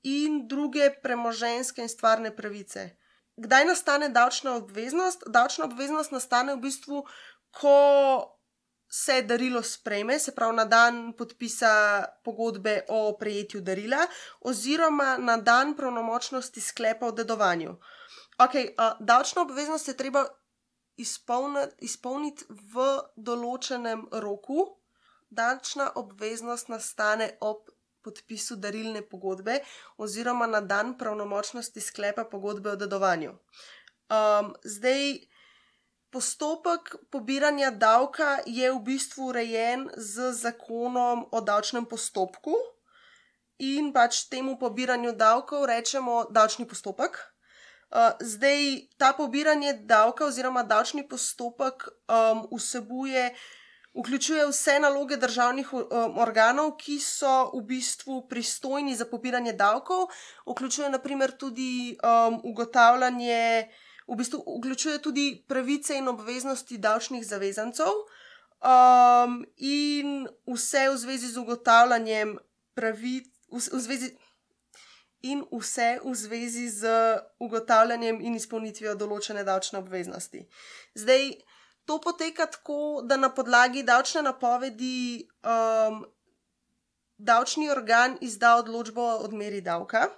in druge premoženjske in stvarne pravice. kdaj nastane davčna obveznost? Davčna obveznost nastane v bistvu, ko se darilo sprejme, se pravi na dan podpisa pogodbe o prejetju darila, oziroma na dan pravnomočnosti sklepa o dedovanju. Davčno obveznost je treba izpolniti v določenem roku. Davčna obveznost nastane ob podpisu darilne pogodbe oziroma na dan pravnomočnosti sklepa pogodbe o dedovanju. Postopek pobiranja davka je v bistvu urejen z zakonom o davčnem postopku in pač temu pobiranju davkov rečemo davčni postopek. Ta pobiranje davka oziroma davčni postopek vključuje vse naloge državnih organov, ki so v bistvu pristojni za pobiranje davkov, vključuje naprimer tudi vključuje tudi pravice in obveznosti davčnih zavezancev in vse v zvezi z ugotavljanjem in izpolnitvijo določene davčne obveznosti. To poteka tako, da na podlagi davčne napovedi davčni organ izda odločbo o odmeri davka.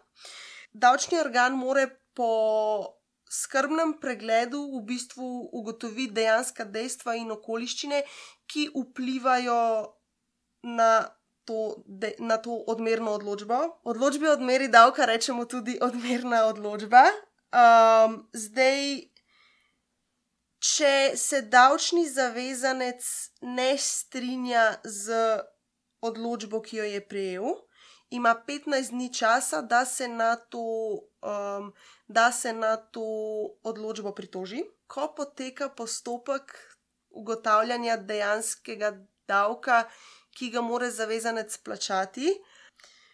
Davčni organ mora po skrbnem pregledu v bistvu ugotoviti dejanska dejstva in okoliščine, ki vplivajo na to odmerno odločbo. Odločbi o odmeri davka rečemo tudi odmerna odločba. Če se davčni zavezanec ne strinja z odločbo, ki jo je prejel, ima 15 dni časa, da se na to odločbo pritoži. Ko poteka postopek ugotavljanja dejanskega davka, ki ga mora zavezanec plačati,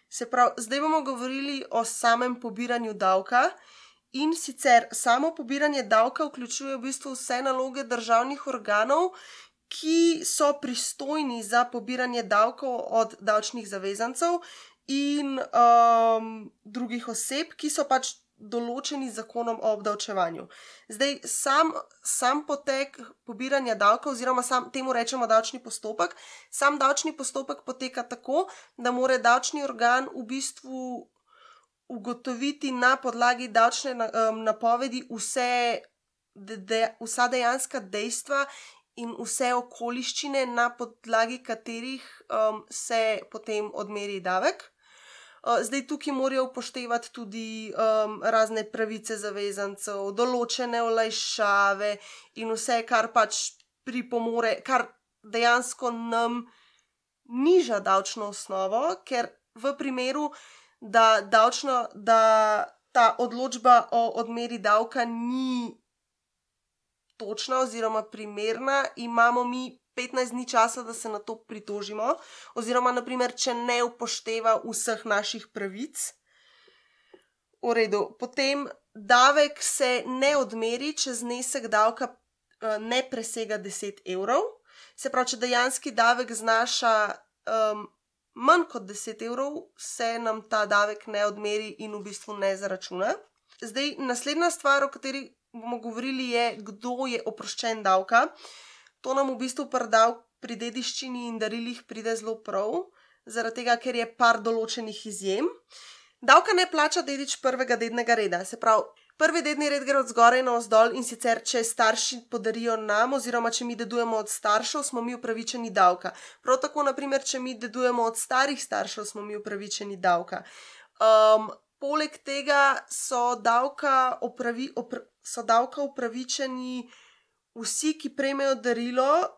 se pravi, zdaj bomo govorili o samem pobiranju davka. In sicer samo pobiranje davka vključuje v bistvu vse naloge državnih organov, ki so pristojni za pobiranje davkov od davčnih zavezancev in drugih oseb, ki so pač določeni z zakonom o obdavčevanju. Sam potek pobiranja davka, oziroma temu rečemo davčni postopek, sam davčni postopek poteka tako, da mora davčni organ v bistvu ugotoviti na podlagi davčne napovedi vsa dejanska dejstva in vse okoliščine, na podlagi katerih se potem odmeri davek. Tukaj morajo upoštevati tudi razne pravice zavezancev, določene olajšave in vse, kar pač pripomore, kar dejansko nam niža davčno osnovo, ker v primeru, da ta odločba o odmeri davka ni točna oziroma primerna, imamo mi 15 dni časa, da se na to pritožimo, oziroma naprimer, če ne upošteva vseh naših pravic. V redu, potem davek se ne odmeri, če znesek davka ne presega 10 evrov. Se pravi, če dejanski davek znaša manj kot 10 evrov, se nam ta davek ne odmeri in v bistvu ne zaračuna. Naslednja stvar, o kateri bomo govorili, je, kdo je oproščen davka. To nam v bistvu pri dediščini in darilih pride zelo prav, zaradi tega, ker je par določenih izjem. Davka ne plača dedič prvega dednega reda, se pravi, prvi dedni red gre od zgoraj na vzdolj, in sicer, če starši podarijo nam oziroma če mi dedujemo od staršev, smo mi upravičeni davka. Prav tako, naprimer, če mi dedujemo od starih staršev, smo mi upravičeni davka. Poleg tega so davka upravičeni vsi, ki prejmejo darilo,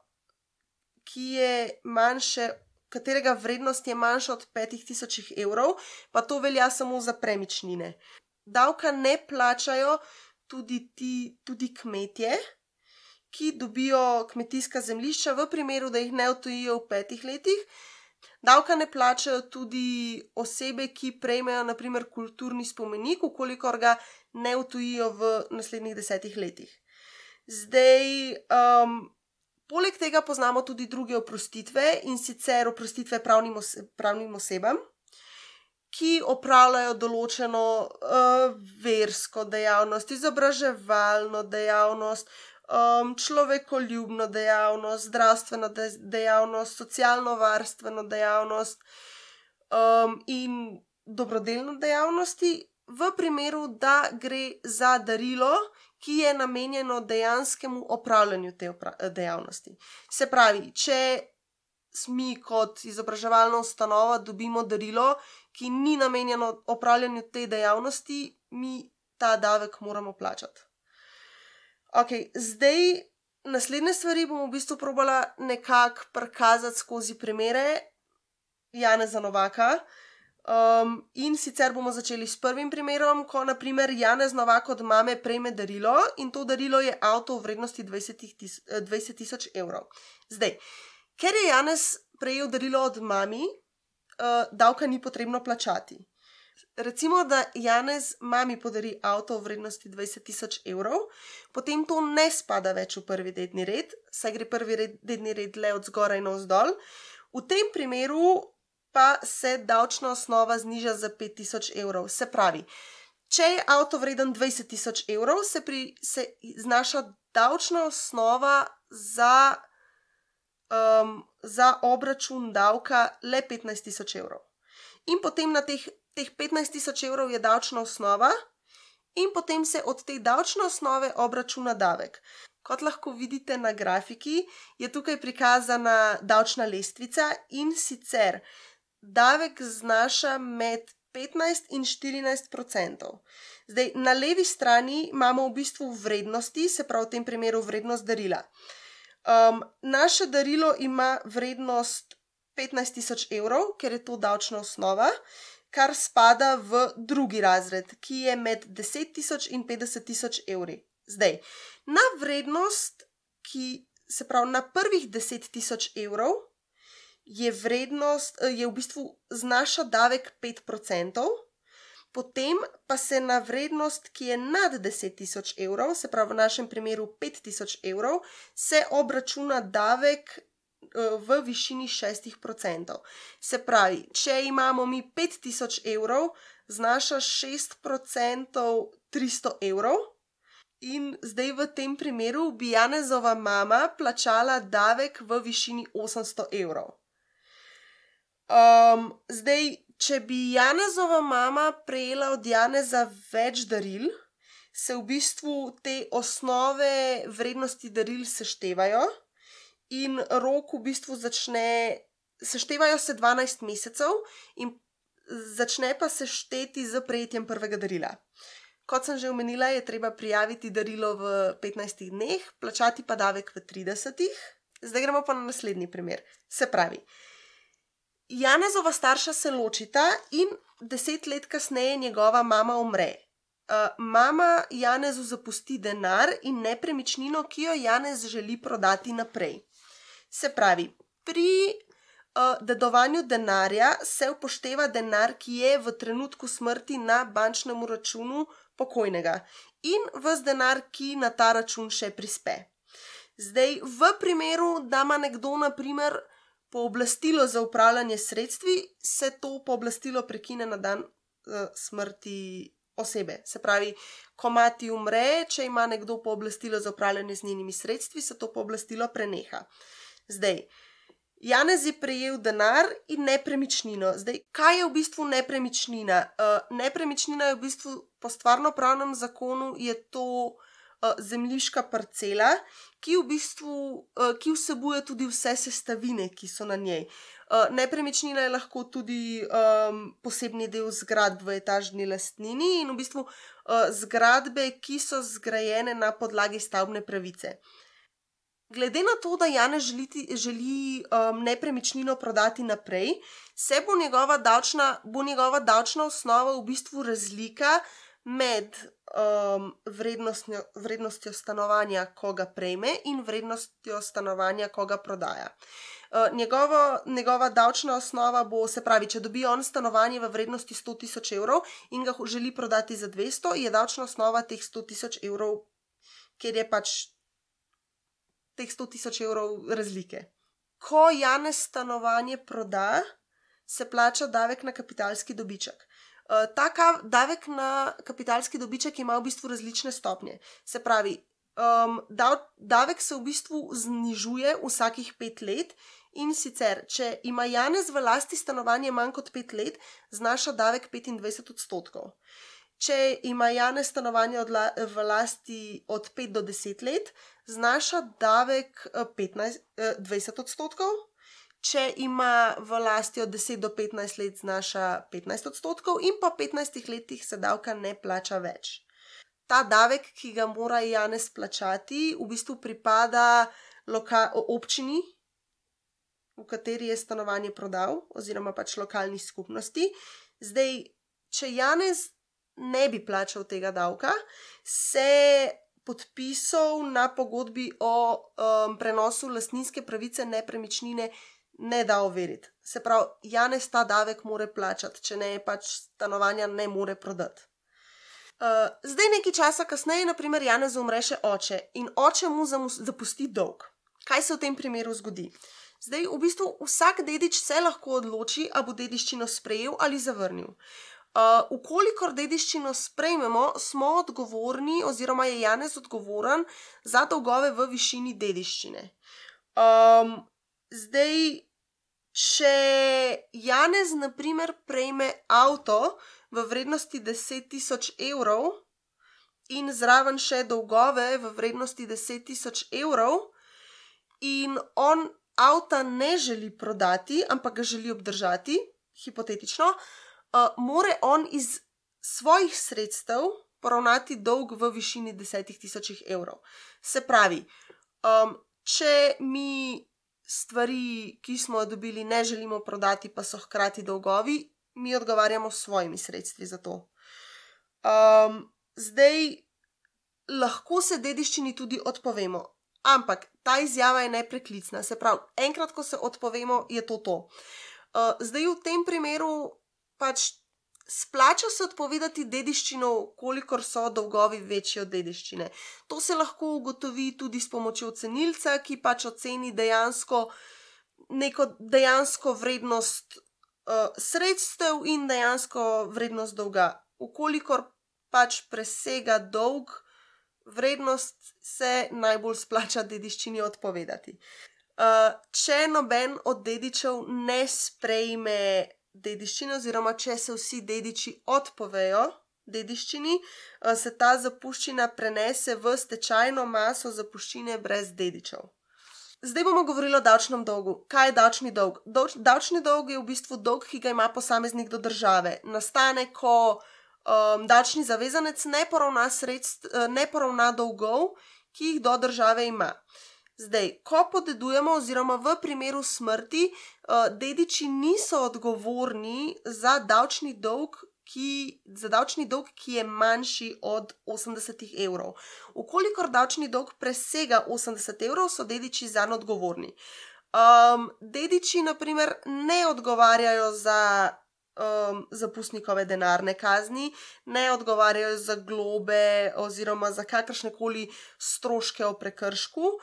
katerega vrednost je manjša od 5000 evrov, pa to velja samo za premičnine. Davka ne plačajo tudi kmetje, ki dobijo kmetijska zemljišča v primeru, da jih ne odtujijo v 5 letih. Davka ne plačajo tudi osebe, ki prejmejo naprimer kulturni spomenik, ukolikor ga ne odtujijo v naslednjih 10 letih. Poleg tega poznamo tudi druge oprostitve, in sicer oprostitve pravnim osebam, ki opravljajo določeno versko dejavnost, izobraževalno dejavnost, človekoljubno dejavnost, zdravstveno dejavnost, socialno-varstveno dejavnost in dobrodelno dejavnosti, v primeru, da gre za darilo, ki je namenjeno dejanskemu opravljanju te dejavnosti. Se pravi, če mi kot izobraževalna ustanova dobimo darilo, ki ni namenjeno opravljanju te dejavnosti, mi ta davek moramo plačati. Ok, zdaj naslednje stvari bom v bistvu probala nekako prikazati skozi primere Janeza Novaka. In sicer bomo začeli s prvim primerom, ko naprimer Janez Novak od mame prejme darilo in to darilo je avto v vrednosti 20.000 evrov. Zdaj, ker je Janez prejel darilo od mami, davka ni potrebno plačati. Recimo, da Janez mami podari avto v vrednosti 20.000 evrov, potem to ne spada več v prvi dedni red, saj gre prvi dedni red le od zgoraj navzdol. V tem primeru pa se davčna osnova zniža za 5.000 evrov. Se pravi, če je avto vreden 20.000 evrov, se znaša davčna osnova za obračun davka le 15.000 evrov. In potem na teh 15.000 evrov je davčna osnova in potem se od te davčne osnove obračuna davek. Kot lahko vidite na grafiki, je tukaj prikazana davčna lestvica in sicer davek znaša med 15 in 14%. Zdaj, na levi strani imamo v bistvu vrednosti, se pravi v tem primeru vrednost darila. Naše darilo ima vrednost 15.000 evrov, ker je to davčna osnova, kar spada v drugi razred, ki je med 10.000 in 50.000 evri. Zdaj, na vrednost, se pravi na prvih 10.000 evrov, je v bistvu znaša davek 5%, potem pa se na vrednost, ki je nad 10.000 evrov, se pravi v našem primeru 5.000 evrov, se obračuna davek v višini 6%. Se pravi, če imamo mi 5.000 evrov, znaša 6% 300 evrov in zdaj v tem primeru bi Janezova mama plačala davek v višini 800 evrov. Zdaj, če bi Janezova mama prejela od Janeza več daril, se v bistvu te osnove vrednosti daril seštevajo in rok v bistvu seštevajo se 12 mesecev in začne pa se šteti z prejetjem prvega darila. Kot sem že omenila, je treba prijaviti darilo v 15 dneh, plačati pa davek v 30. Zdaj gremo pa na naslednji primer. Se pravi, Janezova starša se ločita in 10 let kasneje njegova mama umre. Mama Janezu zapusti denar in nepremičnino, ki jo Janez želi prodati naprej. Se pravi, pri dedovanju denarja se upošteva denar, ki je v trenutku smrti na bančnem računu pokojnega in ves denar, ki na ta račun še prispe. Zdaj, v primeru, da ima nekdo na primer pooblastilo za upravljanje sredstvi, se to pooblastilo prekine na dan smrti osebe. Se pravi, ko mati umre, če ima nekdo pooblastilo za upravljanje z njenimi sredstvi, se to pooblastilo preneha. Zdaj, Janez je prejel denar in nepremičnino. Zdaj, kaj je v bistvu nepremičnina? Nepremičnina je v bistvu po stvarnopravnem zakonu je to zemljiška parcela, ki vsebuje tudi vse sestavine, ki so na njej. Nepremičnina je lahko tudi posebni del zgradb v etažni lastnini in v bistvu zgradbe, ki so zgrajene na podlagi stavbne pravice. Glede na to, da Janez želi nepremičnino prodati naprej, bo njegova davčna osnova v bistvu razlika med vrednostjo stanovanja, ko ga prejme, in vrednostjo stanovanja, ko ga prodaja. Njegova davčna osnova bo, se pravi, če dobi on stanovanje v vrednosti 100.000 evrov in ga želi prodati za 200, je davčna osnova teh 100.000 evrov, ker je pač teh 100.000 evrov razlike. Ko Janez stanovanje proda, se plača davek na kapitalski dobiček. Ta davek na kapitalski dobiček ima v bistvu različne stopnje. Se pravi, davek se v bistvu znižuje vsakih 5 let in sicer, če ima Janez v lasti stanovanje manj kot 5 let, znaša davek 25%. Če ima Janez stanovanje v lasti od 5 do 10 let, znaša davek 20%. Če ima v lasti od 10 do 15 let, znaša 15% in po 15 letih se davka ne plača več. Ta davek, ki ga mora Janez plačati, v bistvu pripada občini, v kateri je stanovanje prodal, oziroma pač lokalni skupnosti. Zdaj, če Janez ne bi plačal tega davka, se podpisov na pogodbi o prenosu lastninske pravice nepremičnine ne da overiti. Se pravi, Janez ta davek mora plačati, če ne pač stanovanja ne more prodati. Zdaj nekaj časa kasneje, naprimer, Janezu umre še oče in oče mu zapusti dolg. Kaj se v tem primeru zgodi? Zdaj, v bistvu vsak dedič se lahko odloči, a bo dediščino sprejel ali zavrnil. Ukolikor dediščino sprejmemo, smo odgovorni oziroma je Janez odgovoren za dolgove v višini dediščine. Zdaj, če Janez, naprimer, prejme avto v vrednosti 10.000 evrov in zraven še dolgove v vrednosti 10.000 evrov in on avta ne želi prodati, ampak ga želi obdržati, hipotetično, more on iz svojih sredstev poravnati dolg v višini 10.000 evrov. Se pravi, če mi stvari, ki smo jo dobili, ne želimo prodati, pa so hkrati dolgovi, mi odgovarjamo s svojimi sredstvi za to. Zdaj, lahko se dediščini tudi odpovemo, ampak ta izjava je nepreklicna. Se pravi, enkrat, ko se odpovemo, je to. Zdaj, v tem primeru pač splača se odpovedati dediščino, kolikor so dolgovi večji od dediščine. To se lahko ugotovi tudi s pomočjo cenilca, ki pač oceni neko dejansko vrednost sredstev in dejansko vrednost dolga. Ukolikor pač presega dolg vrednost, se najbolj splača dediščini odpovedati. Če noben od dedičev ne sprejme dediščine, oziroma če se vsi dediči odpovejo dediščini, se ta zapuščina prenese v stečajno maso zapuščine brez dedičev. Zdaj bomo govorili o davčnem dolgu. Kaj je davčni dolg? Davčni dolg je v bistvu dolg, ki ga ima posameznik do države. Nastane, ko davčni zavezanec ne poravna dolgov, ki jih do države ima. Zdaj, ko podedujemo oziroma v primeru smrti, dediči niso odgovorni za davčni dolg, ki je manjši od 80 evrov. Ukolikor davčni dolg presega 80 evrov, so dediči zanj odgovorni. Dediči, naprimer, ne odgovarjajo za zapustnikove denarne kazni, ne odgovarjajo za globe oziroma za kakršnekoli stroške o prekršku.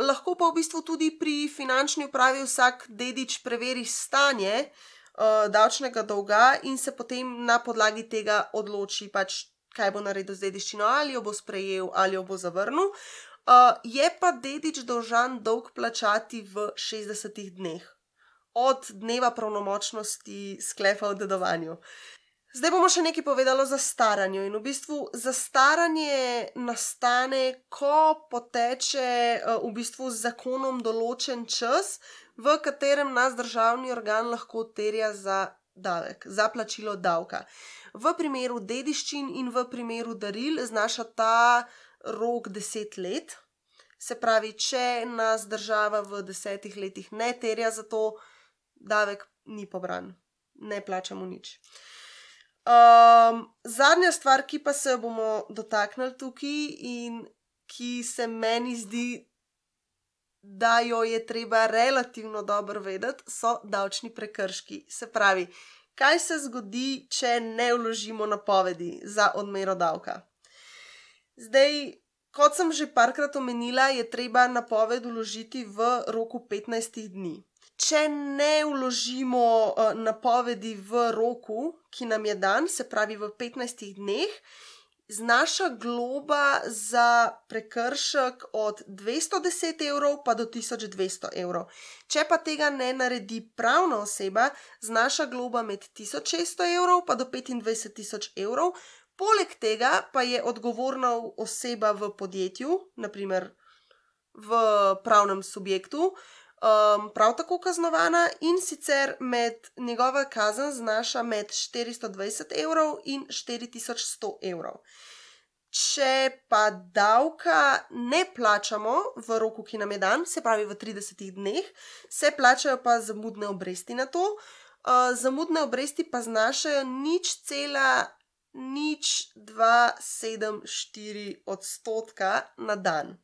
Lahko pa v bistvu tudi pri finančni upravi vsak dedič preveri stanje davčnega dolga in se potem na podlagi tega odloči, pač, kaj bo naredil z dediščino, ali jo bo sprejel ali jo bo zavrnil. Je pa dedič dolžan dolg plačati v 60 dneh od dneva pravnomočnosti sklepa o dedovanju. Zdaj bomo še nekaj povedali o zastaranju. In v bistvu zastaranje nastane, ko poteče v bistvu z zakonom določen čas, v katerem nas državni organ lahko terja za davek, za plačilo davka. V primeru dediščin in v primeru daril znaša ta rok 10 let. Se pravi, če nas država v 10 letih ne terja za to, davek ni pobran, ne plačamo nič. Zadnja stvar, ki pa se jo bomo dotaknili tukaj in ki se meni zdi, da jo je treba relativno dobro vedeti, so davčni prekrški. Se pravi, kaj se zgodi, če ne vložimo napovedi za odmero davka? Zdaj, kot sem že parkrat omenila, je treba napoved vložiti v roku 15 dni. če ne vložimo napovedi v roku, ki nam je dan, se pravi v 15 dneh, znaša globa za prekršek od 210 evrov pa do 1200 evrov. Če pa tega ne naredi pravna oseba, znaša globa med 1600 evrov pa do 25.000 evrov. Poleg tega pa je odgovorna oseba v podjetju, naprimer v pravnem subjektu, prav tako kaznovana, in sicer njegova kazen znaša med 420 evrov in 4100 evrov. Če pa davka ne plačamo v roku, ki nam je dan, se pravi v 30 dneh, se plačajo pa zamudne obresti na to. Zamudne obresti pa znašajo 0,0274% na dan.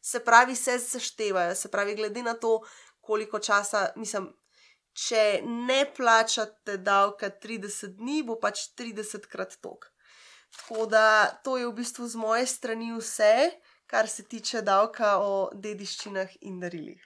Se pravi, se seštevajo, se pravi, glede na to, koliko časa, če ne plačate davka 30 dni, bo pač 30krat toliko. Tako da to je v bistvu z moje strani vse, kar se tiče davka o dediščinah in darilih.